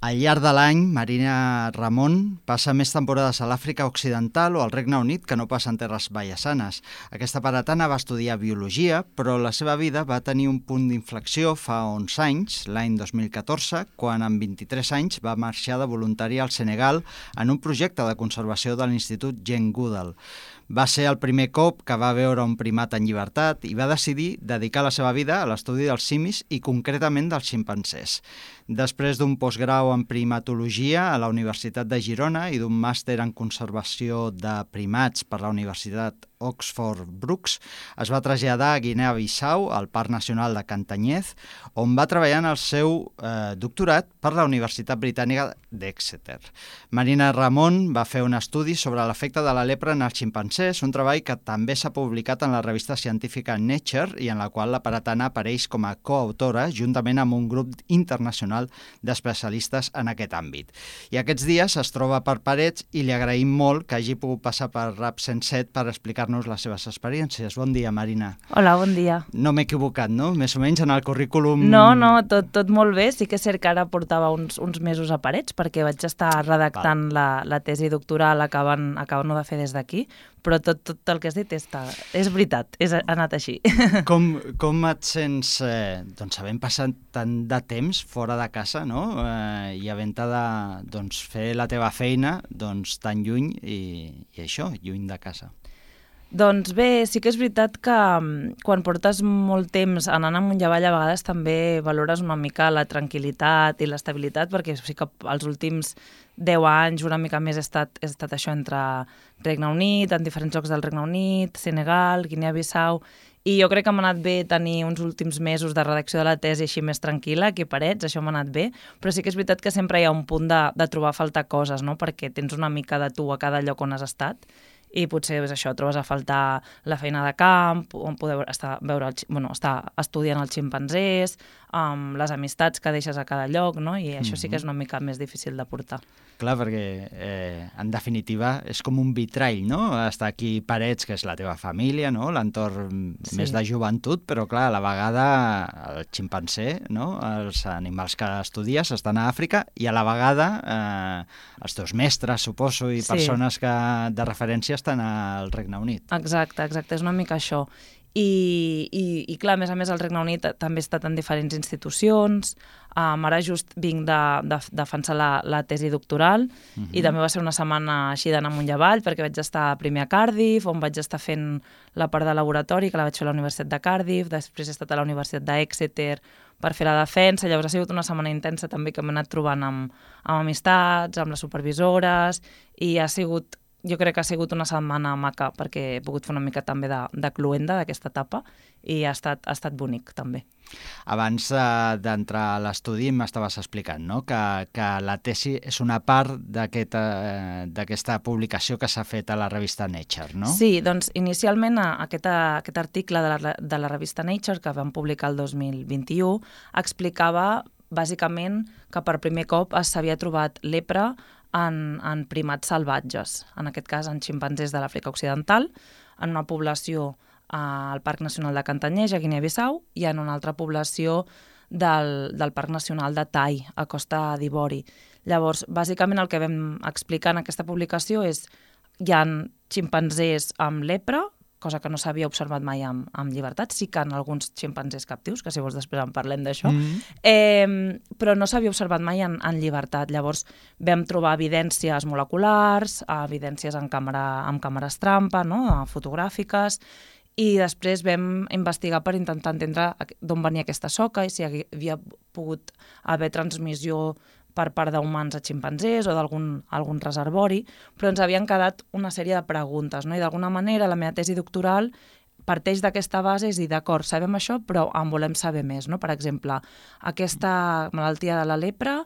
Al llarg de l'any, Marina Ramon passa més temporades a l'Àfrica Occidental o al Regne Unit que no pas en terres vallesanes. Aquesta paratana va estudiar biologia, però la seva vida va tenir un punt d'inflexió fa 11 anys, l'any 2014, quan amb 23 anys va marxar de voluntària al Senegal en un projecte de conservació de l'Institut Jane Goodall. Va ser el primer cop que va veure un primat en llibertat i va decidir dedicar la seva vida a l'estudi dels simis i concretament dels ximpanzés. Després d'un postgrau en primatologia a la Universitat de Girona i d'un màster en conservació de primats per la Universitat Oxford Brookes, es va traslladar a Guinea-Bissau, al Parc Nacional de Cantanyez, on va treballar en el seu doctorat per la Universitat Britànica d'Exeter. Marina Ramon va fer un estudi sobre l'efecte de la lepra en els ximpanzés, un treball que també s'ha publicat en la revista científica Nature i en la qual la paratana apareix com a coautora juntament amb un grup internacional d'especialistes en aquest àmbit. I aquests dies es troba per Parets i li agraïm molt que hagi pogut passar per Rap 107 per explicar-nos les seves experiències. Bon dia, Marina. Hola, bon dia. No m'he equivocat, no? Més o menys en el currículum... No, tot molt bé. Sí que és cert que ara portava uns mesos a Parets perquè vaig estar redactant la tesi doctoral acabant-ho de fer des d'aquí, però tot el que has dit és veritat, ha anat així. Com et sents, doncs, havent passat tant de temps fora de casa, no? I havent-te de fer la teva feina tan lluny i això, lluny de casa? Doncs bé, sí que és veritat que quan portes molt temps anant amunt i avall, a vegades també valores una mica la tranquil·litat i l'estabilitat, perquè sí que els últims 10 anys, una mica més, he estat això entre Regne Unit, en diferents llocs del Regne Unit, Senegal, Guinea-Bissau, i jo crec que m'ha anat bé tenir uns últims mesos de redacció de la tesi així més tranquil·la, aquí a Parets, això m'ha anat bé, però sí que és veritat que sempre hi ha un punt de trobar a faltar coses, no? Perquè tens una mica de tu a cada lloc on has estat, i potser és això, trobes a faltar la feina de camp, on poder estar estudiant els ximpanzés, les amistats que deixes a cada lloc, no? I això sí que és una mica més difícil de portar. Clar, perquè en definitiva és com un vitrall, no? Està aquí Parets, que és la teva família, no? L'entorn més de joventut, però clar, a la vegada el ximpanzé, no? Els animals que estudies estan a Àfrica i a la vegada els teus mestres, suposo, i persones de referència estan al Regne Unit. Exacte, és una mica això. I clar, a més el Regne Unit també ha estat en diferents institucions, ara just vinc de defensar la tesi doctoral i també va ser una setmana així d'anar amunt i avall perquè vaig estar primer a Cardiff, on vaig estar fent la part de laboratori, que la vaig fer a la Universitat de Cardiff, després he estat a la Universitat d'Exeter per fer la defensa, llavors ha sigut una setmana intensa també que m'he anat trobant amb amistats, amb les supervisores, i jo crec que ha sigut una setmana maca perquè he pogut fer una mica també de cluenda d'aquesta etapa i ha estat bonic també. Abans d'entrar a l'estudi m'estaves explicant, no? que la tesi és una part d'aquesta publicació que s'ha fet a la revista Nature, no? Sí, doncs inicialment aquest article de la revista Nature que vam publicar el 2021 explicava bàsicament que per primer cop s'havia trobat lepra en primats salvatges, en aquest cas en ximpanzés de l'Àfrica Occidental, en una població al Parc Nacional de Cantanyez, a Guinea-Bissau, i en una altra població del Parc Nacional de Tai, a Costa d'Ivori. Llavors, bàsicament el que vam explicar en aquesta publicació és que hi ha ximpanzés amb lepra, cosa que no s'havia observat mai amb llibertat, sí que en alguns ximpanzés captius, que si vols després en parlem d'això, però no s'havia observat mai en llibertat. Llavors vam trobar evidències moleculars, evidències amb càmeres trampa, no? Fotogràfiques, i després vam investigar per intentar entendre d'on venia aquesta soca i si havia pogut haver transmissió per part d'humans a ximpanzés o d'algun reservori, però ens havien quedat una sèrie de preguntes, no? I d'alguna manera la meva tesi doctoral parteix d'aquesta base, és dir, d'acord, sabem això, però en volem saber més, no? Per exemple, aquesta malaltia de la lepra,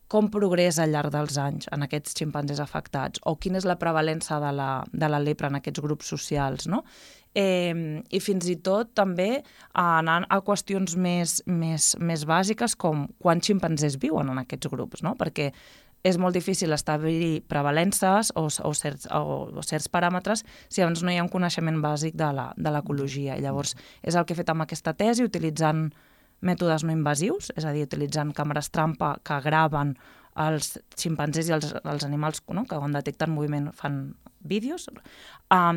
com progressa al llarg dels anys en aquests ximpanzés afectats, o quina és la prevalença de la lepra en aquests grups socials, no? I fins i tot també anant a qüestions més bàsiques com quants ximpanzés viuen en aquests grups, no? Perquè és molt difícil establir prevalences o certs paràmetres si abans no hi ha un coneixement bàsic de l'ecologia. I llavors és el que he fet amb aquesta tesi, utilitzant mètodes no invasius, és a dir, utilitzant càmeres trampa que graven els ximpanzés i els animals, no?, que quan detecten moviment fan vídeos,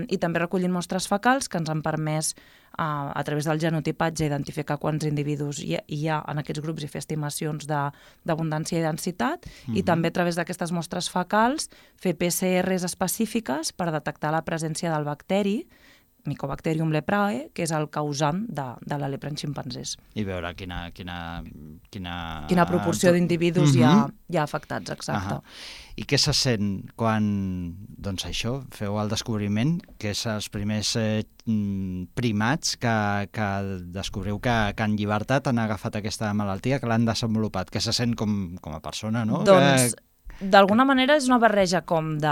i també recollint mostres fecals que ens han permès, a través del genotipatge, identificar quants individus hi ha en aquests grups i fer estimacions d'abundància i densitat, i també a través d'aquestes mostres fecals fer PCRs específiques per detectar la presència del bacteri Mycobacterium leprae, que és el causant de la lepra en ximpanzés. I veure quina proporció d'individus hi ha afectats, exacte. I què se sent quan, doncs això, feu el descobriment, que és els primers primats que descobriu que en llibertat han agafat aquesta malaltia, que l'han desenvolupat? Què se sent com a persona, no? Doncs, d'alguna manera és una barreja com de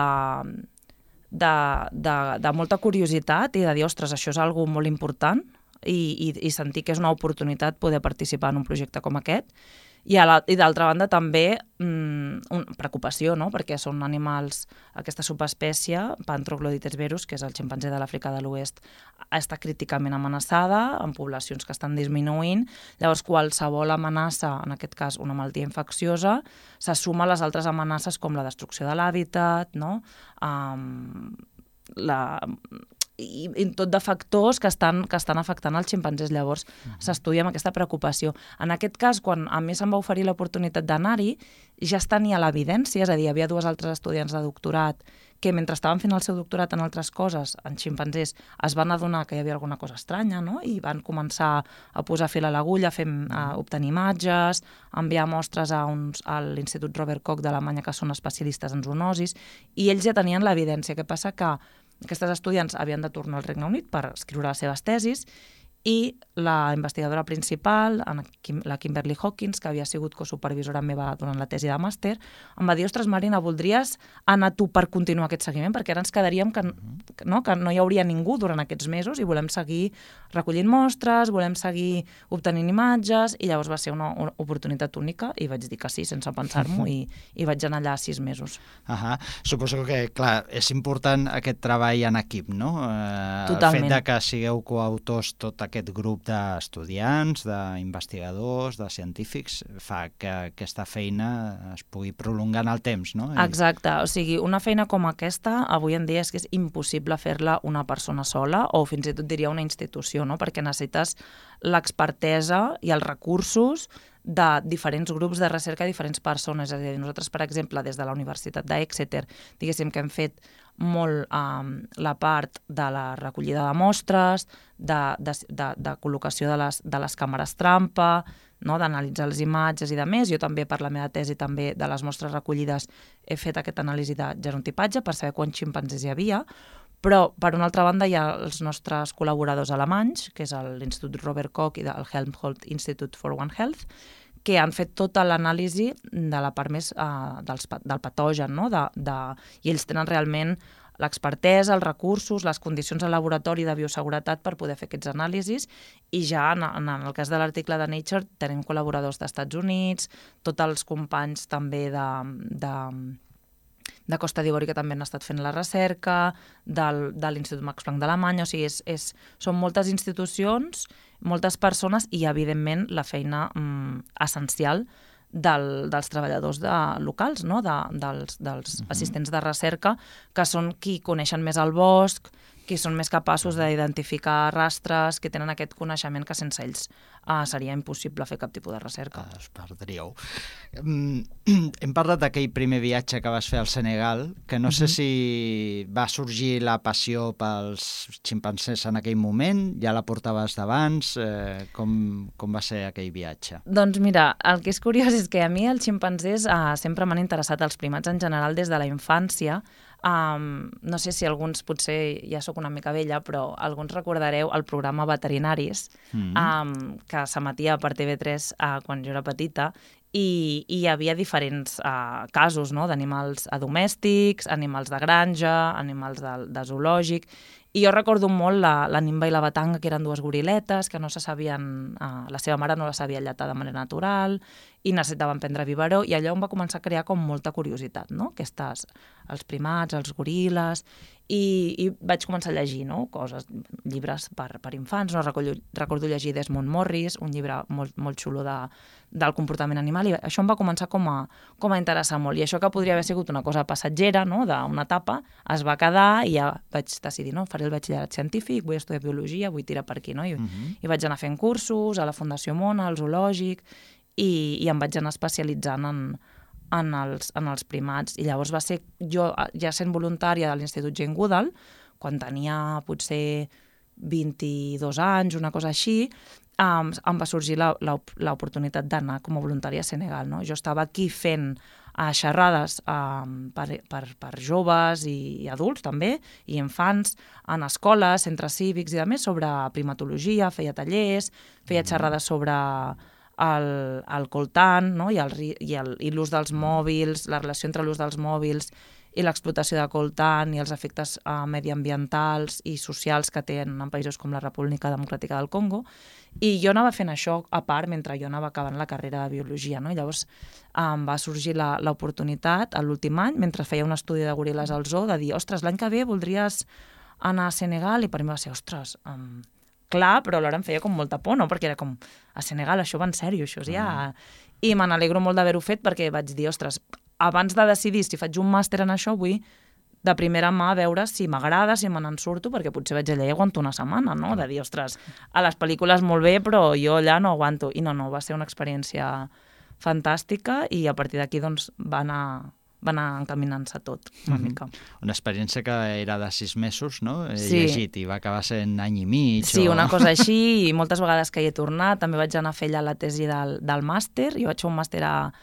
molta curiositat i de dir, ostres, això és algo molt important i sentir que és una oportunitat poder participar en un projecte com aquest. I d'altra banda també preocupació, no?, perquè són animals, aquesta subespècie, Panthroglodites verus, que és el ximpanzé de l'Àfrica de l'Oest, està críticament amenaçada, en poblacions que estan disminuint. Llavors, qualsevol amenaça, en aquest cas una malaltia infecciosa, se suma a les altres amenaces com la destrucció de l'hàbitat, no?, i tot de factors que estan afectant els ximpanzés. Llavors s'estudia amb aquesta preocupació. En aquest cas, quan a mi se'm va oferir l'oportunitat d'anar-hi, ja es tenia l'evidència, és a dir, hi havia 2 altres estudiants de doctorat que mentre estaven fent el seu doctorat en altres coses, en ximpanzés, es van adonar que hi havia alguna cosa estranya, no?, i van començar a posar fil a l'agulla, a obtenir imatges, enviar mostres a l'Institut Robert Koch d'Alemanya, que són especialistes en zoonosis, i ells ja tenien l'evidència. Què passa? Que aquestes estudiants havien de tornar al Regne Unit per escriure les seves tesis i la investigadora principal, la Kimberly Hawkins, que havia sigut cosupervisora meva durant la tesi de màster, em va dir, ostres, Marina, voldries anar tu per continuar aquest seguiment? Perquè ara ens quedaríem que no hi hauria ningú durant aquests mesos i volem seguir recollint mostres, volem seguir obtenint imatges, i llavors va ser una oportunitat única i vaig dir que sí, sense pensar-m'ho, i vaig anar allà 6 mesos. Suposo que, clar, és important aquest treball en equip, no? Totalment. El fet que sigueu coautors tot aquest grup d'estudiants, d'investigadors, de científics, fa que aquesta feina es pugui prolongar en el temps, no? Exacte, o sigui, una feina com aquesta avui en dia és que és impossible fer-la una persona sola o fins i tot diria una institució, no?, perquè necessites l'expertesa i els recursos de diferents grups de recerca i diferents persones. És a dir, nosaltres, per exemple, des de la Universitat d'Exeter, diguéssim que hem fet molt la part de la recollida de mostres, de col·locació de les càmeres trampa, no?, d'analitzar les imatges i de més. Jo també, per la meva tesi, també de les mostres recollides he fet aquesta anàlisi de genotipatge per saber quants ximpanzés hi havia, però, per una altra banda, hi ha els nostres col·laboradors alemanys, que és l'Institut Robert Koch i el Helmholtz Institute for One Health, que han fet tota l'anàlisi de la part més del patogen, no?, i ells tenen realment l'expertesa, els recursos, les condicions de laboratori de bioseguretat per poder fer aquests anàlisis, i ja en el cas de l'article de Nature tenim col·laboradors d'Estats Units, tots els companys també de Costa d'Ivori que també han estat fent la recerca, de l'Institut Max Planck d'Alemanya, o sigui, són moltes institucions, moltes persones i, evidentment, la feina essencial dels treballadors locals, no?, dels assistents de recerca, que són qui coneixen més el bosc, qui són més capaços d'identificar rastres, que tenen aquest coneixement que sense ells seria impossible fer cap tipus de recerca. Es perdríeu. Hem parlat d'aquell primer viatge que vas fer al Senegal, que no sé si va sorgir la passió pels ximpanzés en aquell moment, ja la portaves d'abans, com va ser aquell viatge? Doncs mira, el que és curiós és que a mi els ximpanzés sempre m'han interessat, els primats en general, des de la infància. No sé si alguns, potser ja sóc una mica vella, però alguns recordareu el programa Veterinaris, que s'emetia per TV3 quan jo era petita, i hi havia diferents casos, no?, d'animals domèstics, animals de granja, animals de zoològic, i jo recordo molt la Nimba i la Batanga, que eren 2 goriletes, que no se sabien, la seva mare no la sabia lletar de manera natural, i necessitaven prendre biberó, i allò em va començar a crear com molta curiositat, no? Els primats, els goril·les, i vaig començar a llegir, no? Coses, llibres per infants, no? Recordo llegir Desmond Morris, un llibre molt xulo del comportament animal, i això em va començar com a interessar molt, i això que podria haver sigut una cosa passatgera, no? D'una etapa, es va quedar, i ja vaig decidir, no? Faré el batxillerat científic, vull estudiar biologia, vull tirar per aquí, no? I vaig anar fent cursos a la Fundació Mona, al zoològic, i em vaig anar especialitzant en els primats. I llavors va ser, jo ja sent voluntària de l'Institut Jane Goodall, quan tenia potser 22 anys, una cosa així, em va sorgir l'oportunitat d'anar com a voluntària a Senegal, no? Jo estava aquí fent xerrades per joves i adults també, i infants, en escoles, centres cívics i més, sobre primatologia, feia tallers, feia xerrades sobre el coltan, no? I l'ús dels mòbils, la relació entre l'ús dels mòbils i l'explotació de coltan i els efectes mediambientals i socials que tenen en països com la República Democràtica del Congo. I jo anava fent això a part mentre jo anava acabant la carrera de biologia, no? I llavors em va sorgir l'oportunitat a l'últim any, mentre feia un estudi de goril·les al zoo, de dir, ostres, l'any que ve voldries anar a Senegal? I per mi va ser, ostres, clar, però alhora em feia com molta por, no? Perquè era com, a Senegal, això va en sèrio, això és ja... I me n'alegro molt d'haver-ho fet perquè vaig dir, ostres, abans de decidir si faig un màster en això, vull de primera mà veure si m'agrada, si me n'en surto, perquè potser vaig allà i aguanto una setmana, no? De dir, ostres, a les pel·lícules molt bé, però jo allà no aguanto. I no, va ser una experiència fantàstica i a partir d'aquí doncs va anar encaminant-se tot, una mica. Una experiència que era de 6 mesos, no? He Sí. llegit, i va acabar sent any i mig. Sí, una cosa així, i moltes vegades que hi he tornat. També vaig anar a fer allà la tesi del màster. Jo vaig fer un màster a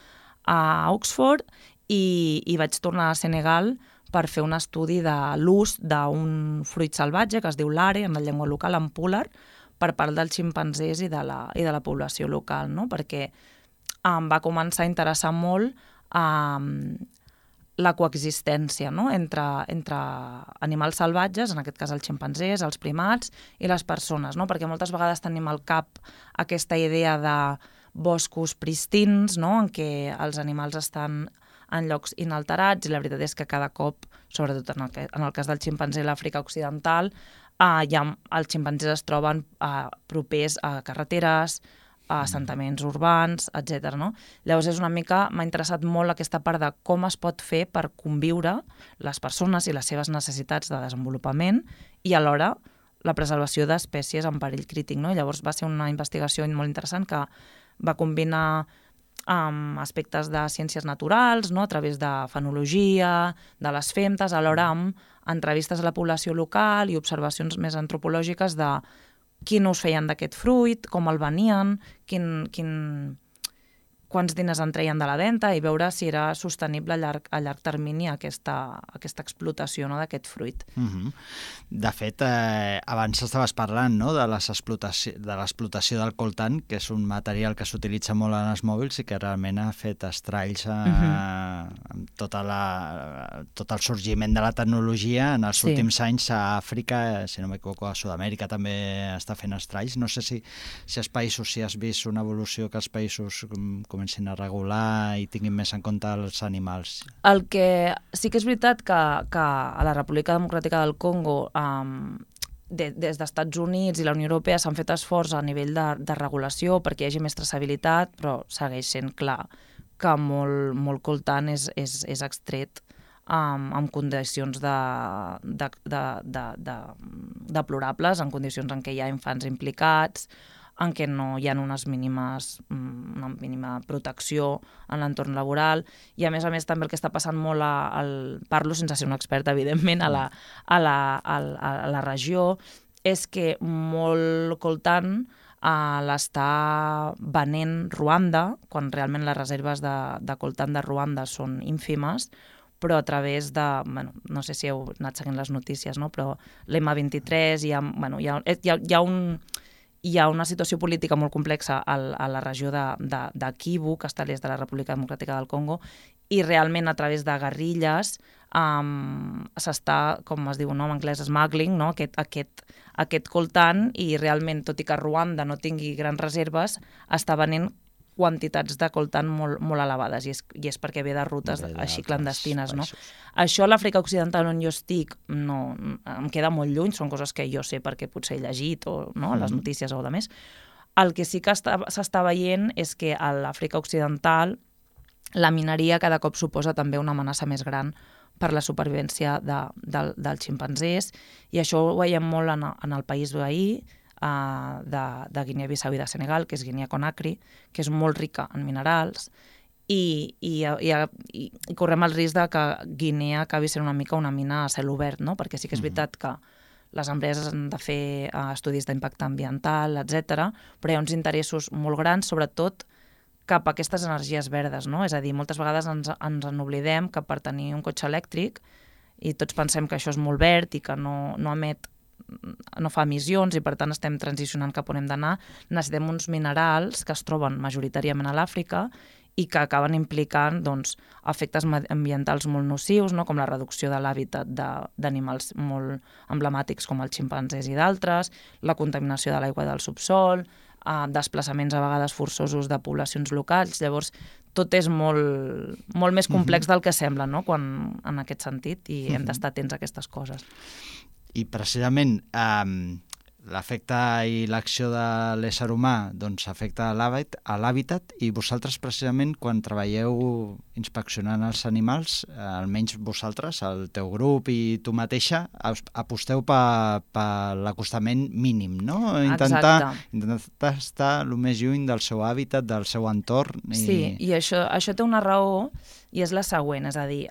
Oxford i vaig tornar a Senegal per fer un estudi de l'ús d'un fruit salvatge que es diu l'are, en la llengua local, en púlar, per part dels ximpanzés i de la població local, no? Perquè em va començar a interessar molt la coexistència, no? entre animals salvatges, en aquest cas els ximpanzés, els primats i les persones, no? Perquè moltes vegades tenim al cap aquesta idea de boscos pristins, no? En què els animals estan en llocs inalterats, i la veritat és que cada cop, sobretot en el cas del ximpanzé a l'Àfrica Occidental, els ximpanzés es troben propers a carreteres, a assentaments urbans, etc. No? Llavors m'ha interessat molt aquesta part de com es pot fer per conviure les persones i les seves necessitats de desenvolupament i alhora la preservació d'espècies en perill crític. No? Llavors va ser una investigació molt interessant que va combinar aspectes de ciències naturals, no? A través de fenologia, de les femtes, alhora amb entrevistes a la població local i observacions més antropològiques de quin ús feien d'aquest fruit, com el venien, quants diners en treien de la venda i veure si era sostenible a llarg termini aquesta explotació, no, d'aquest fruit. De fet, abans estaves parlant, no, de l'explotació del coltan, que és un material que s'utilitza molt en els mòbils i que realment ha fet estralls amb tot el sorgiment de la tecnologia en els últims anys a Àfrica, si no m'equivoco, a Sud-amèrica també està fent estralls. No sé si has vist una evolució que els països comencin a regular i tinguin més en compte els animals. El que sí que és veritat que a la República Democràtica del Congo des dels Estats Units i la Unió Europea s'han fet esforç a nivell de regulació perquè hi hagi més traçabilitat, però segueix sent clar que molt coltan és extret en condicions deplorables, en condicions en què hi ha infants implicats, en què no hi ha una mínima protecció en l'entorn laboral, i a més també el que està passant molt, parlo sense ser un expert, evidentment, a la regió, és que molt coltan l'està venent Ruanda, quan realment les reserves de coltan de Ruanda són ínfimes, però a través de, no sé si heu anat seguint les notícies, no? Però l'M23, hi ha una situació política molt complexa a la regió de Kivu, que està a l'est de la República Democràtica del Congo, i realment a través de guerrilles s'està, com es diu en anglès, smuggling, no? aquest coltan, i realment, tot i que Ruanda no tingui grans reserves, està venent quantitats de coltan molt elevades, i és perquè ve de rutes així clandestines, no? Països. Això a l'Àfrica Occidental on jo estic no, em queda molt lluny, són coses que jo sé perquè potser he llegit o no, les notícies o de més. El que sí que s'està veient és que a l'Àfrica Occidental la mineria cada cop suposa també una amenaça més gran per la supervivència dels ximpanzés, i això ho veiem molt en el país veí de Guinea-Bissau i de Senegal, que és Guinea-Conakry, que és molt rica en minerals, i correm el risc de que Guinea acabi sent una mica una mina a cel obert, no? Perquè sí que és veritat que les empreses han de fer estudis d'impacte ambiental, etc., però hi ha uns interessos molt grans, sobretot cap a aquestes energies verdes, no? És a dir, moltes vegades ens n'oblidem que per tenir un cotxe elèctric, i tots pensem que això és molt verd i que no fa emissions i per tant estem transicionant cap on hem d'anar, necessitem uns minerals que es troben majoritàriament a l'Àfrica i que acaben implicant efectes ambientals molt nocius, no? Com la reducció de l'hàbitat d'animals molt emblemàtics com els ximpanzés i d'altres, la contaminació de l'aigua del subsol, desplaçaments a vegades forçosos de poblacions locals. Llavors, tot és molt més complex del que sembla, no? En aquest sentit, i hem d'estar atents a aquestes coses. I precisament l'efecte i l'acció de l'ésser humà afecta a l'hàbitat, i vosaltres precisament quan treballeu inspeccionant els animals, almenys vosaltres, el teu grup i tu mateixa, aposteu per l'acostament mínim, no? Intentar estar el més lluny del seu hàbitat, del seu entorn. Sí, i això té una raó, i és la següent, és a dir,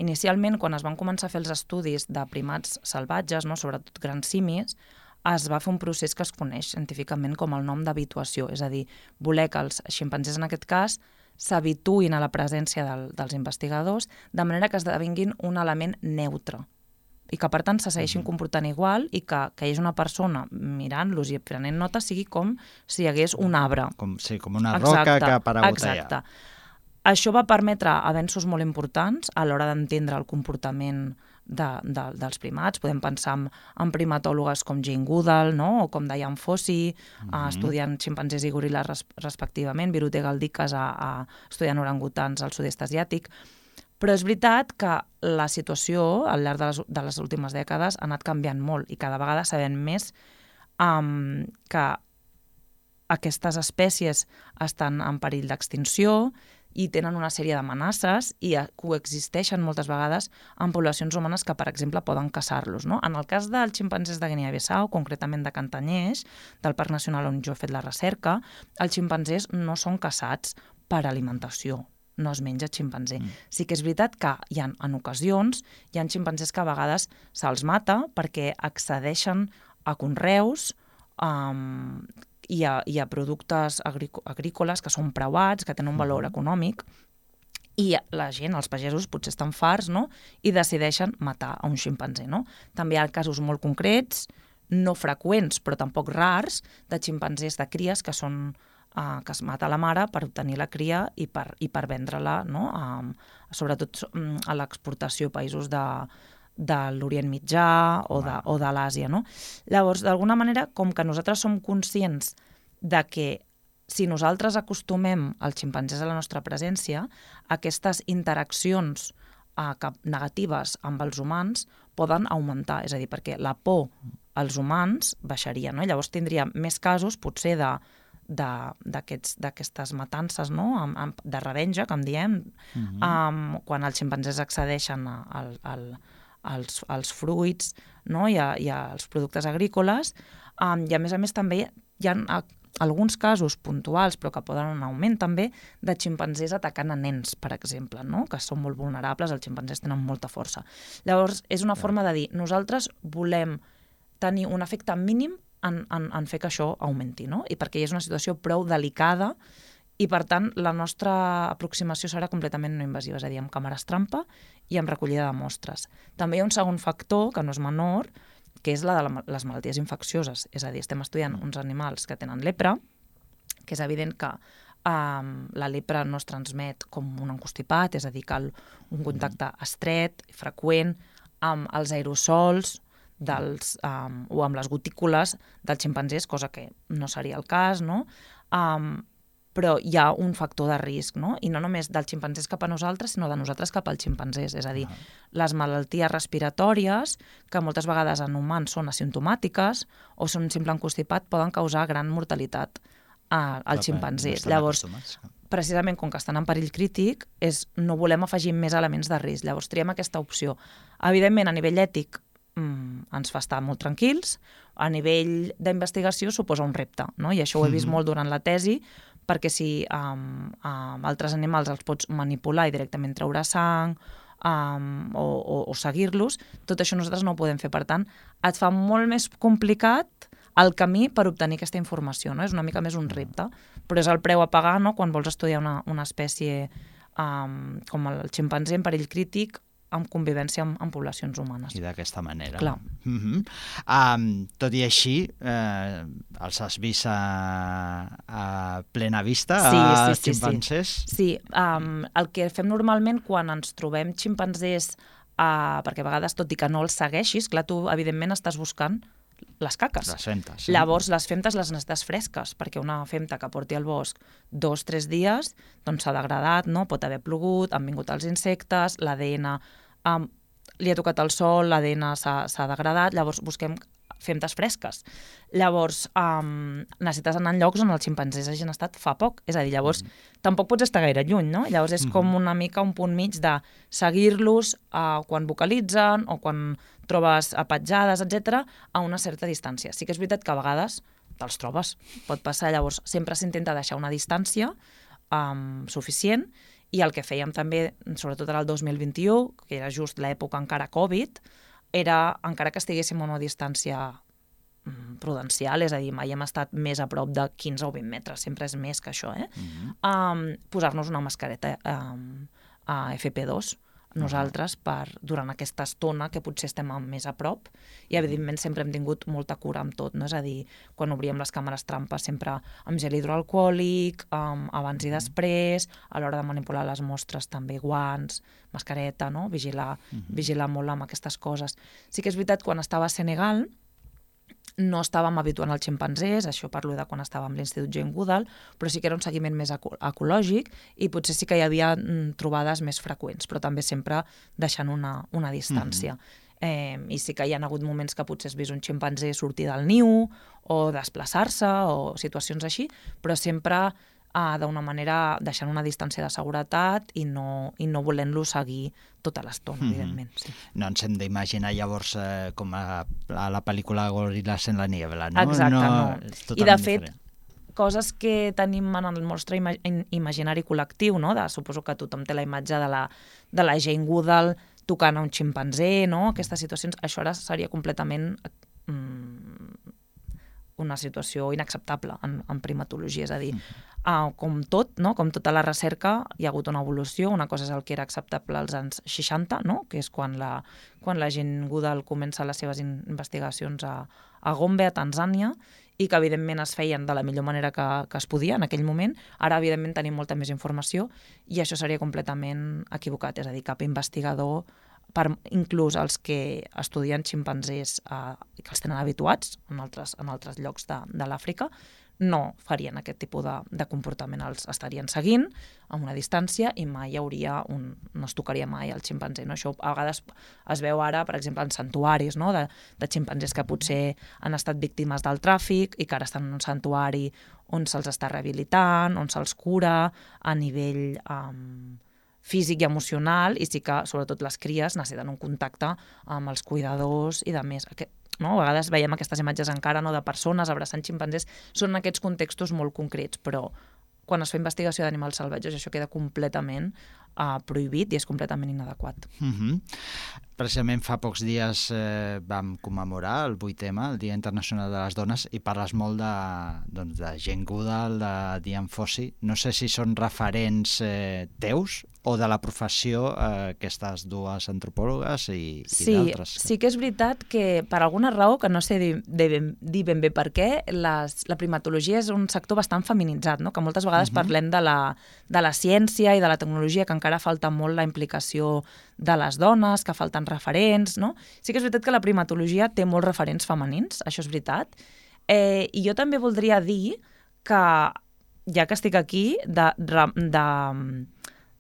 inicialment quan es van començar a fer els estudis de primats salvatges, no? Sobretot grans simis, es va fer un procés que es coneix científicament com el nom d'habituació, és a dir, voler que els ximpanzés en aquest cas s'habituïn a la presència dels investigadors de manera que esdevinguin un element neutre i que per tant se segueixin comportant igual, i que hi hagi una persona mirant-los i prenent nota sigui com si hi hagués un arbre. Com una roca que ha aparegut allà. Exacte. Això va permetre avenços molt importants a l'hora d'entendre el comportament dels primats. Podem pensar en primatòlogues com Jane Goodall, no? O com Diane Fossey, estudiant ximpanzés i goril·les respectivament, Birute Galdikas estudiant orangutans al sud-est asiàtic. Però és veritat que la situació al llarg de les últimes dècades ha anat canviant molt, i cada vegada sabem més que aquestes espècies estan en perill d'extinció i tenen una sèrie d'amenaces i coexisteixen moltes vegades amb poblacions humanes que, per exemple, poden caçar-los, no? En el cas dels ximpanzés de Guinea-Bissau, concretament de Cantanyers, del Parc Nacional on jo he fet la recerca, els ximpanzés no són caçats per alimentació, no es menja ximpanzé. Sí que és veritat que en ocasions hi ha ximpanzés que a vegades se'ls mata perquè accedeixen a conreus i a productes agrícoles que són preuats, que tenen un valor econòmic, i la gent, els pagesos, potser estan farts, no? I decideixen matar a un ximpanzé, no? També hi ha casos molt concrets, no freqüents, però tampoc rars, de ximpanzés de cries que es mata la mare per obtenir la cria i per vendre-la, no? Sobretot a l'exportació a països de l'Orient Mitjà o de l'Àsia, no? Llavors, d'alguna manera, com que nosaltres som conscients de que si nosaltres acostumem els ximpanzés a la nostra presència, aquestes interaccions negatives amb els humans poden augmentar, és a dir, perquè la por als humans baixaria, no? Llavors tindríem més casos, potser, d'aquestes matances, no? De revenja, que en diem, quan els ximpanzés accedeixen als fruits, no? I als productes agrícoles, i a més també hi ha alguns casos puntuals, però que poden anar en augment també, de ximpanzés atacant a nens, per exemple, no? Que són molt vulnerables, els ximpanzés tenen molta força. Llavors, és una forma de dir, nosaltres volem tenir un efecte mínim en fer que això augmenti, no? I perquè és una situació prou delicada, i per tant la nostra aproximació serà completament no invasiva, és a dir, amb càmeres trampa i amb recollida de mostres. També hi ha un segon factor, que no és menor, que és la de les malalties infeccioses. És a dir, estem estudiant uns animals que tenen lepra, que és evident que la lepra no es transmet com un encostipat, és a dir, cal un contacte estret, freqüent, amb els aerosols o amb les gotícules dels ximpanzés, cosa que no seria el cas, no? però hi ha un factor de risc, no? I no només dels ximpanzés cap a nosaltres, sinó de nosaltres cap als ximpanzés. És a dir, les malalties respiratòries, que moltes vegades en humans són asimptomàtiques o són un simple constipat, poden causar gran mortalitat als ximpanzés. Llavors, precisament com que estan en perill crític, no volem afegir més elements de risc. Llavors, triem aquesta opció. Evidentment, a nivell ètic, ens fa estar molt tranquils. A nivell d'investigació suposa un repte, no? I això ho he vist molt durant la tesi, perquè si amb altres animals els pots manipular i directament treure sang o seguir-los, tot això nosaltres no ho podem fer. Per tant, et fa molt més complicat el camí per obtenir aquesta informació, no? És una mica més un repte, però és el preu a pagar, no?, quan vols estudiar una espècie com el ximpanzé en perill crític, amb convivència amb poblacions humanes. I d'aquesta manera. Clar. Tot i així, els has vist a plena vista, els ximpanzés? Sí, el que fem normalment quan ens trobem ximpanzés, perquè a vegades, tot i que no els segueixis, clar, tu evidentment estàs buscant les caques. Les femtes. Llavors, les femtes les necessites fresques, perquè una femta que porti al bosc 2-3 dies, doncs s'ha degradat, no? Pot haver plogut, han vingut els insectes, l'ADN li ha tocat el sol, l'ADN s'ha degradat, llavors busquem femtes fresques. Llavors, necessites anar en llocs on els ximpanzés hagin estat fa poc. És a dir, llavors, tampoc pots estar gaire lluny, no? Llavors és com una mica un punt mig de seguir-los quan vocalitzen o quan trobes petjades, etc., a una certa distància. Sí que és veritat que a vegades te'ls trobes, pot passar. Llavors, sempre s'intenta deixar una distància suficient, i el que fèiem també, sobretot ara el 2021, que era just l'època encara Covid, era, encara que estiguéssim a una distància prudencial, és a dir, mai hem estat més a prop de 15 o 20 metres, sempre és més que això, posar-nos una mascareta a FP2, nosaltres, durant aquesta estona que potser estem més a prop, i evidentment sempre hem tingut molta cura amb tot, no? És a dir, quan obríem les càmeres trampa sempre amb gel hidroalcohòlic, abans i després, a l'hora de manipular les mostres també guants, mascareta, no? Vigilar molt amb aquestes coses. Sí que és veritat, quan estava a Senegal, no estàvem habituant els ximpanzés, això parlo de quan estàvem a l'Institut Jane Goodall, però sí que era un seguiment més ecològic i potser sí que hi havia trobades més freqüents, però també sempre deixant una distància. I sí que hi ha hagut moments que potser has vist un ximpanzé sortir del niu o desplaçar-se o situacions així, però sempre d'una manera deixant una distància de seguretat i no volent-lo seguir tota l'estona, evidentment. Sí. No ens hem d'imaginar llavors com a la pel·lícula Gorillas en la niebla, no? Exacte, no. I de fet, coses que tenim en el nostre imaginari col·lectiu, no? Suposo que tothom té la imatge de la Jane Goodall tocant a un ximpanzé, no? Aquestes situacions, això ara seria completament una situació inacceptable en primatologia, és a dir, com tot, no? Com tota la recerca, hi ha hagut una evolució. Una cosa és el que era acceptable als anys 60, no? Que és quan la Jane Goodall comença les seves investigacions a Gombe, a Tanzània, i que evidentment es feien de la millor manera que es podia en aquell moment. Ara, evidentment, tenim molta més informació i això seria completament equivocat. És a dir, cap investigador, inclús els que estudien ximpanzés que els tenen habituats en altres llocs de l'Àfrica, no farien aquest tipus de comportament. Els estarien seguint a una distància i mai no es tocaria mai el ximpanzé. No? Això a vegades es veu ara, per exemple, en santuaris, no? de ximpanzés que potser han estat víctimes del tràfic i que ara estan en un santuari on se'ls està rehabilitant, on se'ls cura a nivell físic i emocional, i sí que, sobretot les cries, necessiten un contacte amb els cuidadors i de més. No? A vegades veiem aquestes imatges encara, no?, de persones abraçant ximpanzés. Són aquests contextos molt concrets, però quan es fa investigació d'animals salvatges això queda completament prohibit i és completament inadequat. Precisament fa pocs dies vam commemorar el 8M, el Dia Internacional de les Dones, i parles molt de Jane Goodall, de Dian Fossey. No sé si són referents teus o de la professió, aquestes dues antropòlogues i d'altres. Sí que és veritat que per alguna raó, que no sé dir ben bé per què, la primatologia és un sector bastant feminitzat, no? Que moltes vegades parlem de la ciència i de la tecnologia, que encara falta molt la implicació de les dones, que falten referents, no? Sí que és veritat que la primatologia té molts referents femenins, això és veritat, i jo també voldria dir que ja que estic aquí, de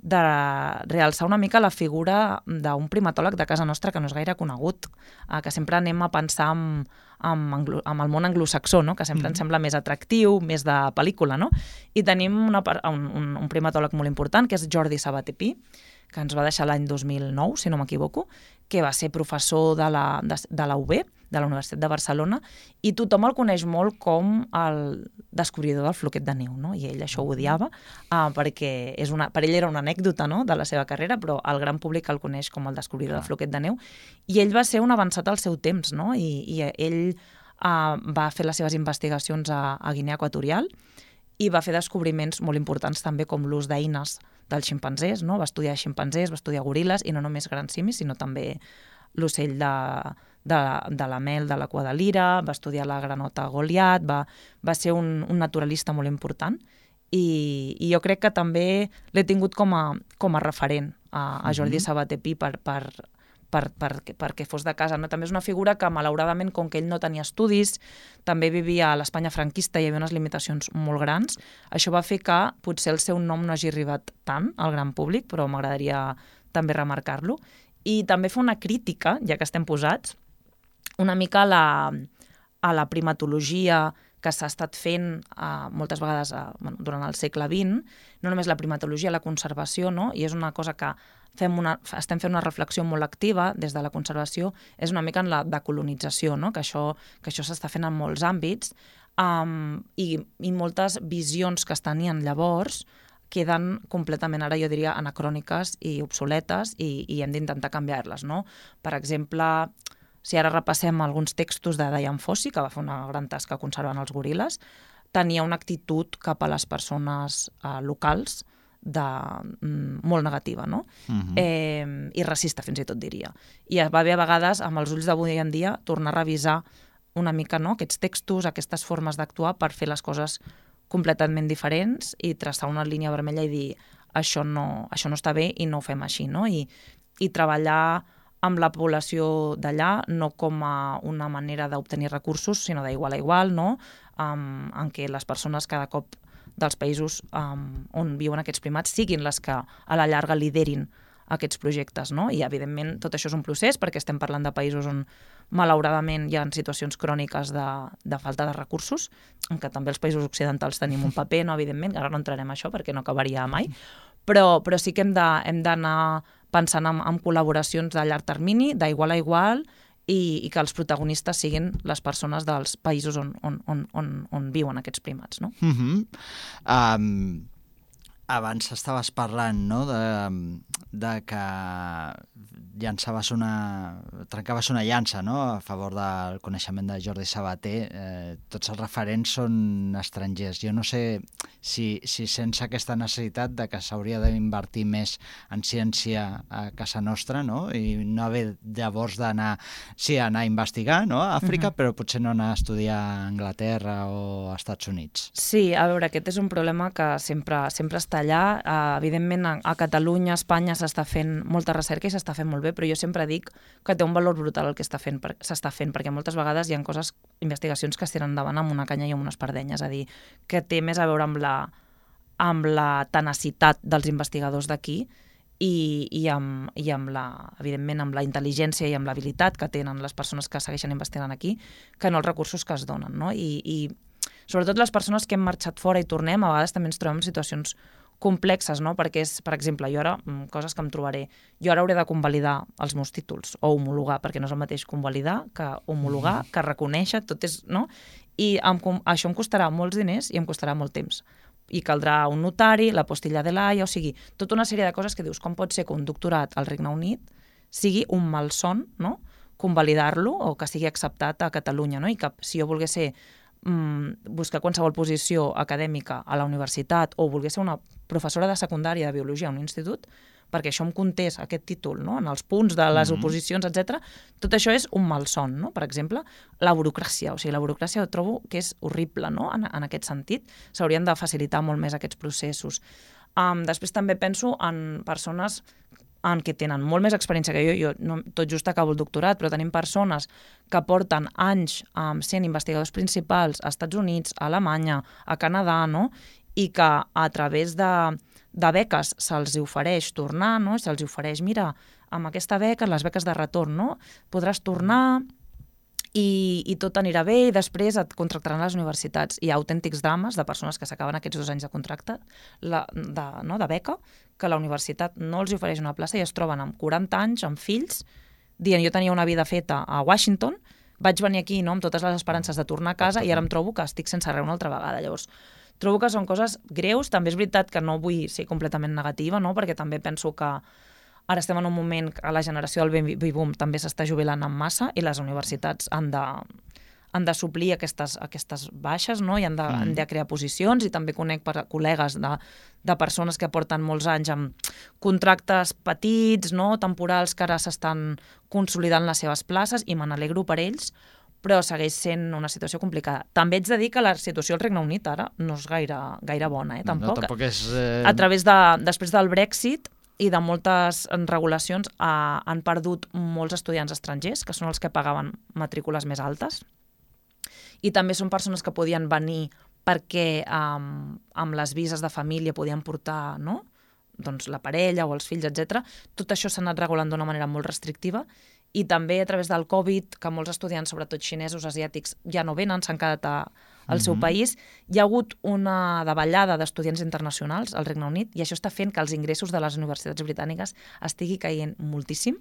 realçar una mica la figura d'un primatòleg de casa nostra que no és gaire conegut, que sempre anem a pensar amb el món anglosaxó, no? Que sempre ens sembla més atractiu, més de pel·lícula, no? I tenim un primatòleg molt important, que és Jordi Sabaté Pi, que ens va deixar l'any 2009, si no m'equivoco, que va ser professor de la UB, de la Universitat de Barcelona, i tothom el coneix molt com el descobridor del floquet de neu, no? I ell això ho odiava, perquè per ell era una anècdota, no?, de la seva carrera, però el gran públic el coneix com el descobridor del floquet de neu, i ell va ser un avançat al seu temps, no? I ell va fer les seves investigacions a Guinea Equatorial i va fer descobriments molt importants també com l'ús d'eines dels ximpanzés, no? Va estudiar ximpanzés, va estudiar goril·les, i no només grans simis, sinó també l'ocell de la mel de la cua de lira, va estudiar la granota Goliat, va ser un naturalista molt important, i jo crec que també l'he tingut com a referent a Jordi Sabaté Pi perquè fos de casa, no? També és una figura que, malauradament, com que ell no tenia estudis, també vivia a l'Espanya franquista i hi havia unes limitacions molt grans, això va fer que potser el seu nom no hagi arribat tant al gran públic, però m'agradaria també remarcar-lo. I també fa una crítica, ja que estem posats, una mica a la primatologia que s'ha estat fent moltes vegades durant el segle XX, no només la primatologia, la conservació, no? I és una cosa que estem fent una reflexió molt activa des de la conservació, és una mica en la decolonització, no? Que això s'està fent en molts àmbits, i moltes visions que es tenien llavors queden completament, ara jo diria, anacròniques i obsoletes, i hem d'intentar canviar-les, no? Per exemple, si ara repassem alguns textos de Dian Fossey, que va fer una gran tasca conservant els goril·les, tenia una actitud cap a les persones locals molt negativa, no? I racista, fins i tot diria. I va haver a vegades, amb els ulls d'avui en dia, tornar a revisar una mica, no?, aquests textos, aquestes formes d'actuar per fer les coses completament diferents i traçar una línia vermella i dir això no està bé i no ho fem així, no? I treballar amb la població d'allà no com a una manera d'obtenir recursos, sinó d'igual a igual, no? En què les persones cada cop dels països on viuen aquests primats siguin les que a la llarga liderin aquests projectes, no? I, evidentment, tot això és un procés perquè estem parlant de països on, malauradament, hi ha situacions cròniques de falta de recursos, en què també els països occidentals tenim un paper, no? Evidentment, ara no entrarem en això perquè no acabaria mai, però sí que hem d'anar pensant en col·laboracions de llarg termini, d'igual a igual, i que els protagonistes siguin les persones dels països on viuen aquests primats, no? Abans estaves parlant, no?, de que trencaves una llança, no?, a favor del coneixement de Jordi Sabaté. Tots els referents són estrangers. Jo no sé si sense aquesta necessitat de que s'hauria d'invertir més en ciència a casa nostra, no?, i no haver llavors d'anar a investigar, no?, a Àfrica, però potser no anar a estudiar a Anglaterra o als Estats Units. Sí, a veure, aquest és un problema que sempre està allà. Evidentment, a Catalunya, a Espanya, s'està fent molta recerca i s'està fent molt bé, però jo sempre dic que té un valor brutal el que s'està fent, perquè moltes vegades hi ha investigacions que es tiren endavant amb una canya i amb unes pardenyes, és a dir, que té més a veure amb la tenacitat dels investigadors d'aquí i evidentment, amb la intel·ligència i amb l'habilitat que tenen les persones que segueixen investigant aquí, que no els recursos que es donen, no? I sobretot les persones que hem marxat fora i tornem, a vegades també ens trobem en situacions complexes, no? Perquè és, per exemple, jo ara, coses que em trobaré, jo ara hauré de convalidar els meus títols o homologar, perquè no és el mateix convalidar que homologar, que reconèixer, tot és, no? I això em costarà molts diners i em costarà molt temps. I caldrà un notari, la postilla de l'AIA, o sigui, tota una sèrie de coses que dius, com pot ser que un doctorat al Regne Unit sigui un malson, no?, convalidar-lo o que sigui acceptat a Catalunya, no? I que si jo volgués buscar qualsevol posició acadèmica a la universitat o volgués ser una professora de secundària de biologia a un institut, perquè això em comptés aquest títol, no?, en els punts de les oposicions, etc. Tot això és un malson, no? Per exemple, la burocràcia. O sigui, la burocràcia trobo que és horrible, no?, en aquest sentit. S'haurien de facilitar molt més aquests processos. Després també penso en persones que tenen molt més experiència que jo no, tot just acabo el doctorat, però tenim persones que porten anys sent investigadors principals a Estats Units, a Alemanya, a Canadà, no? i que a través de beques se'ls ofereix tornar, no? Se'ls ofereix, mira, amb aquesta beca, les beques de retorn, no? Podràs tornar i tot anirà bé i després et contractaran les universitats. Hi ha autèntics drames de persones que s'acaben aquests 2 anys de contracte de beca, que la universitat no els ofereix una plaça i es troben amb 40 anys, amb fills, dient jo tenia una vida feta a Washington, vaig venir aquí amb totes les esperances de tornar a casa i ara em trobo que estic sense res una altra vegada. Llavors, trobo que són coses greus. També és veritat que no vull ser completament negativa, no? Perquè també penso que ara estem en un moment que la generació del baby boom també s'està jubilant en massa i les universitats han de suplir aquestes baixes, no? I han de crear posicions, i també conec col·legues de persones que porten molts anys amb contractes petits, no? Temporals, que ara s'estan consolidant les seves places i me n'alegro per ells, però segueix sent una situació complicada. També ets de dir que la situació al Regne Unit ara no és gaire bona, tampoc. No, tampoc és... A través després del Brexit i de moltes regulacions han perdut molts estudiants estrangers, que són els que pagaven matrícules més altes, i també són persones que podien venir perquè amb les vises de família podien portar, no? Doncs la parella o els fills, etc. Tot això s'ha anat regulant d'una manera molt restrictiva, i també a través del Covid, que molts estudiants, sobretot xinesos, asiàtics, ja no venen, s'han quedat al seu país. Hi ha hagut una davallada d'estudiants internacionals al Regne Unit i això està fent que els ingressos de les universitats britàniques estigui caient moltíssim.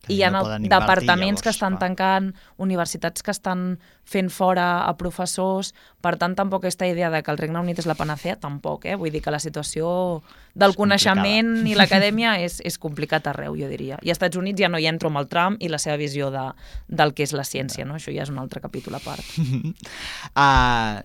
I hi ha departaments que estan tancant, universitats que estan fent fora a professors. Per tant, tampoc aquesta idea de que el Regne Unit és la panacea, tampoc. Vull dir que la situació del coneixement i l'acadèmia és complicat arreu, jo diria. I als Estats Units ja no hi entro amb el Trump i la seva visió del que és la ciència, no? Això ja és un altre capítol a part.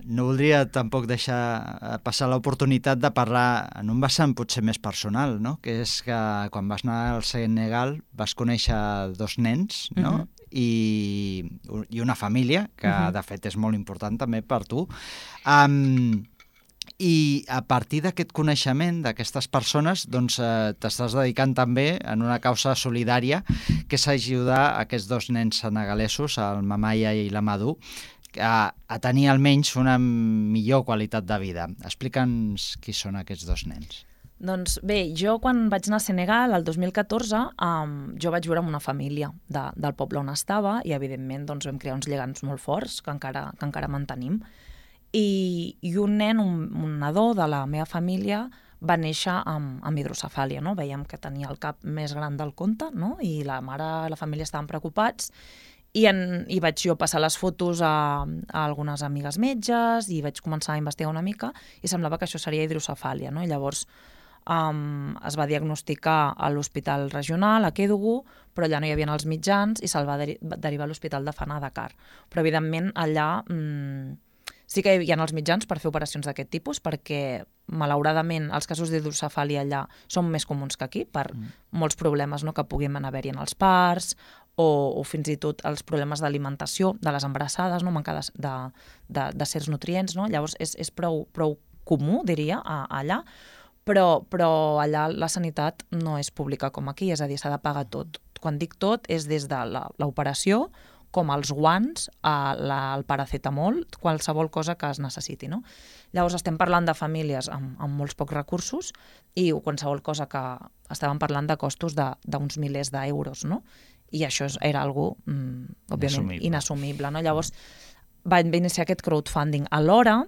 No voldria tampoc deixar passar l'oportunitat de parlar en un vessant potser més personal, no? Que és que quan vas anar al Senegal vas conèixer 2 nens, no? I una família, que de fet és molt important també per tu. I a partir d'aquest coneixement d'aquestes persones, doncs t'estàs dedicant també en una causa solidària, que és ajudar aquests 2 nens senegalesos, el Mamaya i l'Amadou, a tenir almenys una millor qualitat de vida. Explica'ns qui són aquests 2 nens. Doncs bé, jo quan vaig anar a Senegal, el 2014, jo vaig viure amb una família del poble on estava i, evidentment, doncs, vam crear uns lligams molt forts que encara mantenim. I un nen, un nadó de la meva família, va néixer amb hidrocefàlia, no? Veiem que tenia el cap més gran del compte, no? I la mare i la família estaven preocupats. I vaig jo passar les fotos a algunes amigues metges i vaig començar a investigar una mica i semblava que això seria hidrocefàlia, no? I llavors es va diagnosticar a l'hospital regional, a Kédougou, però allà no hi havia els mitjans i se'l va derivar a l'hospital de Fana, a Dakar. Però, evidentment, allà sí que hi ha els mitjans per fer operacions d'aquest tipus, perquè, malauradament, els casos d'hidrocefàlia allà són més comuns que aquí, per molts problemes, no?, que puguin haver-hi en els parts, o fins i tot els problemes d'alimentació de les embarassades, no?, manca de certs nutrients, no? Llavors és prou comú, diria, allà, però allà la sanitat no és pública com aquí, és a dir, s'ha de pagar tot. Quan dic tot, és des de l'operació, com els guants, el paracetamol, qualsevol cosa que es necessiti, no? Llavors estem parlant de famílies amb molts pocs recursos i qualsevol cosa que estàvem parlant de costos d'uns milers d'euros, no? I això era algo, òbviament, inassumible, no? Llavors va iniciar aquest crowdfunding. Alhora,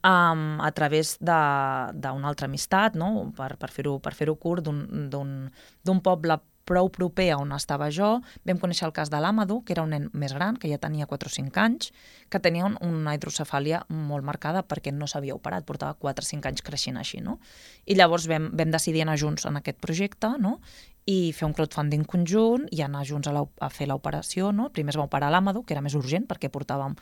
a través d'una altra amistat, no? Per fer-ho curt, d'un poble prou proper on estava jo, vam conèixer el cas de l'Amadou, que era un nen més gran, que ja tenia 4 o 5 anys, que tenia una hidrocefàlia molt marcada perquè no s'havia operat, portava 4 o 5 anys creixent així, no? I llavors vam decidir anar junts en aquest projecte, no?, i fer un crowdfunding conjunt i anar junts a fer l'operació, no? Primer es va operar l'Amadou, que era més urgent perquè portàvem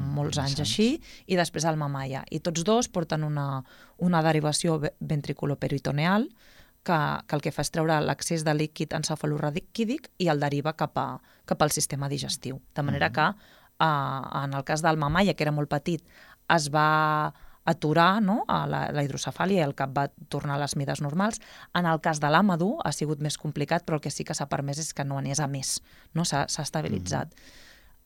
molts anys així, i després el Mamaya. I tots 2 porten una derivació ventriculoperitoneal que el que fa és treure l'excés de líquid encefalorraquídic i el deriva cap al sistema digestiu. De manera que, en el cas del Mamaya, que era molt petit, es va aturar, no?, la hidrocefàlia i el cap va tornar a les mides normals. En el cas de l'Amadou ha sigut més complicat, però el que sí que s'ha permès és que no anés a més, no? S'ha estabilitzat.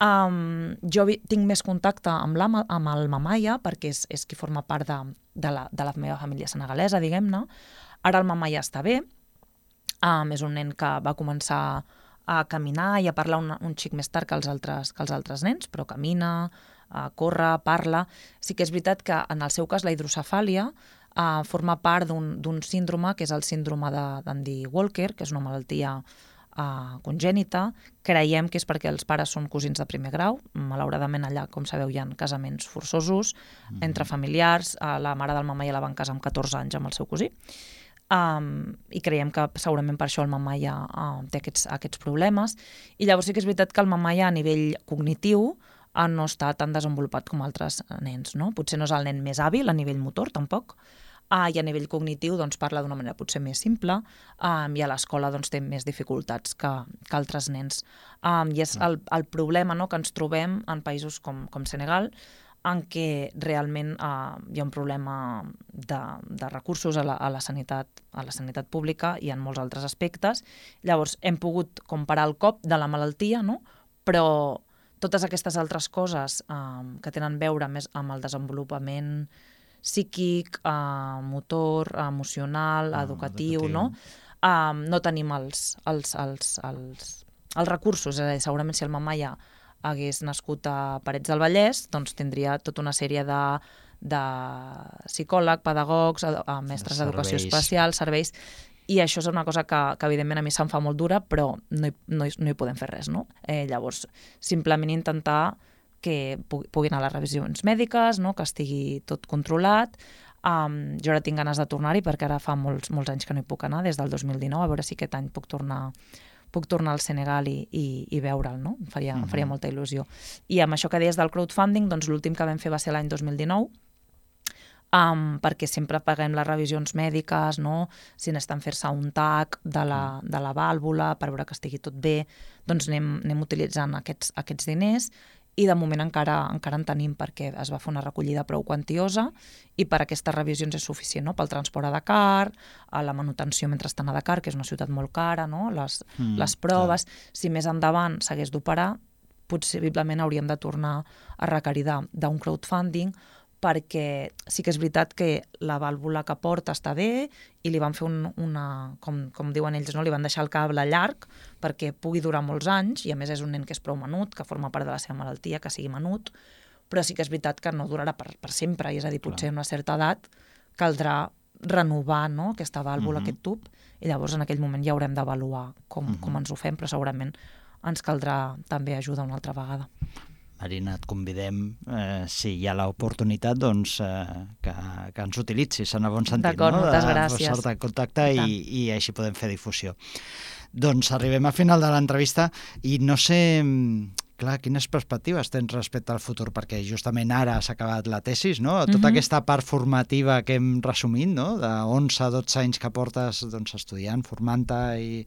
Jo tinc més contacte amb el Mamaya, perquè és qui forma part de la meva família senegalesa, diguem-ne. Ara el Mamaya està bé, és un nen que va començar a caminar i a parlar un xic més tard que els altres nens, però camina, corre, parla. Sí que és veritat que en el seu cas la hidrocefàlia forma part d'un síndrome, que és el síndrome d'Andy Walker, que és una malaltia congènita. Creiem que és perquè els pares són cosins de primer grau. Malauradament allà, com sabeu, hi ha casaments forçosos entre familiars. La mare del Mamaya la van casar amb 14 anys amb el seu cosí. I creiem que segurament per això el Mamaya té aquests problemes. I llavors sí que és veritat que el Mamaya a nivell cognitiu no està tan desenvolupat com altres nens, no? Potser no és el nen més hàbil a nivell motor, tampoc, i a nivell cognitiu doncs, parla d'una manera potser més simple, i a l'escola doncs, té més dificultats que altres nens. I és el problema, no?, que ens trobem en països com Senegal, en què realment hi ha un problema de recursos a la sanitat pública i en molts altres aspectes. Llavors hem pogut comparar el cop de la malaltia, no?, però totes aquestes altres coses que tenen a veure més amb el desenvolupament psíquic, motor, emocional, educatiu, no? No tenim els recursos. És a dir, segurament si el Mamaya hagués nascut a Parets del Vallès, doncs tindria tota una sèrie de psicòleg, pedagogs, mestres d'educació especial, serveis, i això és una cosa que evidentment a mi se'm fa molt dura, però no hi podem fer res, no? Llavors, simplement intentar que puguin anar a les revisions mèdiques, no?, que estigui tot controlat. Jo ara tinc ganes de tornar-hi perquè ara fa molts anys que no hi puc anar, des del 2019, a veure si aquest any puc tornar al Senegal i veure'l, no? Em faria molta il·lusió. I amb això que deies del crowdfunding, doncs l'últim que vam fer va ser l'any 2019, perquè sempre paguem les revisions mèdiques, no? Si necessiten fer-se un TAC de la vàlvula per veure que estigui tot bé, doncs anem utilitzant aquests diners. I de moment encara en tenim perquè es va fer una recollida prou quantiosa i per aquestes revisions és suficient, no? Pel transport a Dakar, a la manutenció mentre estan a Dakar, que és una ciutat molt cara, no? Les proves. Si més endavant s'hagués d'operar, possiblement hauríem de tornar a requerir d'un crowdfunding, perquè sí que és veritat que la vàlvula que porta està bé i li van fer com diuen ells, no? Li van deixar el cable llarg perquè pugui durar molts anys, i a més és un nen que és prou menut, que forma part de la seva malaltia, que sigui menut, però sí que és veritat que no durarà per sempre, i és a dir, potser a una certa edat caldrà renovar, no?, aquesta vàlvula, aquest tub, i llavors en aquell moment ja haurem d'avaluar com ens ho fem, però segurament ens caldrà també ajuda una altra vegada. Marina, et convidem, si hi ha l'oportunitat, doncs que ens utilitzis en el bon sentit. D'acord, moltes gràcies. De posar-te en contacte i així podem fer difusió. Doncs arribem al final de l'entrevista i no sé, clar, quines perspectives tens respecte al futur, perquè justament ara s'ha acabat la tesis, no? Tota aquesta part formativa que hem resumit, no? De 11 a 12 anys que portes estudiant, formant-te, i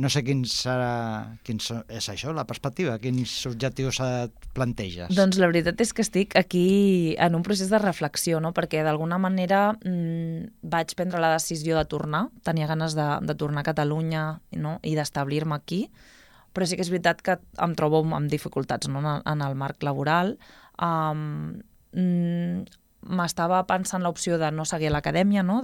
no sé quin és això, la perspectiva, quins objectius et planteges? Doncs la veritat és que estic aquí en un procés de reflexió, no? Perquè d'alguna manera vaig prendre la decisió de tornar, tenia ganes de tornar a Catalunya, no?, i d'establir-me aquí, però sí que és veritat que em trobo amb dificultats, no?, en el marc laboral. M'estava pensant l'opció de no seguir a l'acadèmia, no?,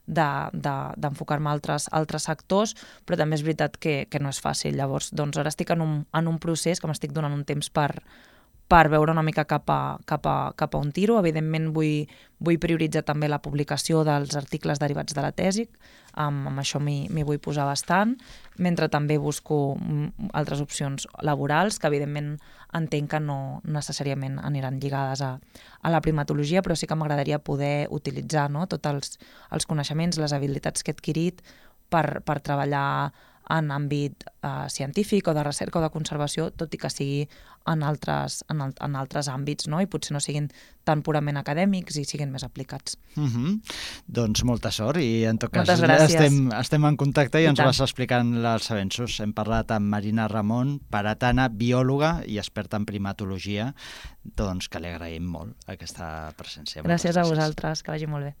d'enfocar-me a altres sectors, però també és veritat que no és fàcil. Llavors, doncs ara estic en un procés que m'estic donant un temps per veure una mica cap a on tiro. Evidentment vull prioritzar també la publicació dels articles derivats de la tesi, amb això m'hi vull posar bastant, mentre també busco altres opcions laborals, que evidentment entenc que no necessàriament aniran lligades a la primatologia, però sí que m'agradaria poder utilitzar, no?, tots els coneixements, les habilitats que he adquirit per treballar en àmbit científic o de recerca o de conservació, tot i que sigui en altres àmbits, no?, i potser no siguin tan purament acadèmics i siguin més aplicats. Doncs molta sort, i en tot cas estem en contacte i ens vas explicant els avenços. Hem parlat amb Marina Ramon, paratana, biòloga i experta en primatologia, doncs que li agraïm molt aquesta presència. Gràcies a vosaltres, que vagi molt bé.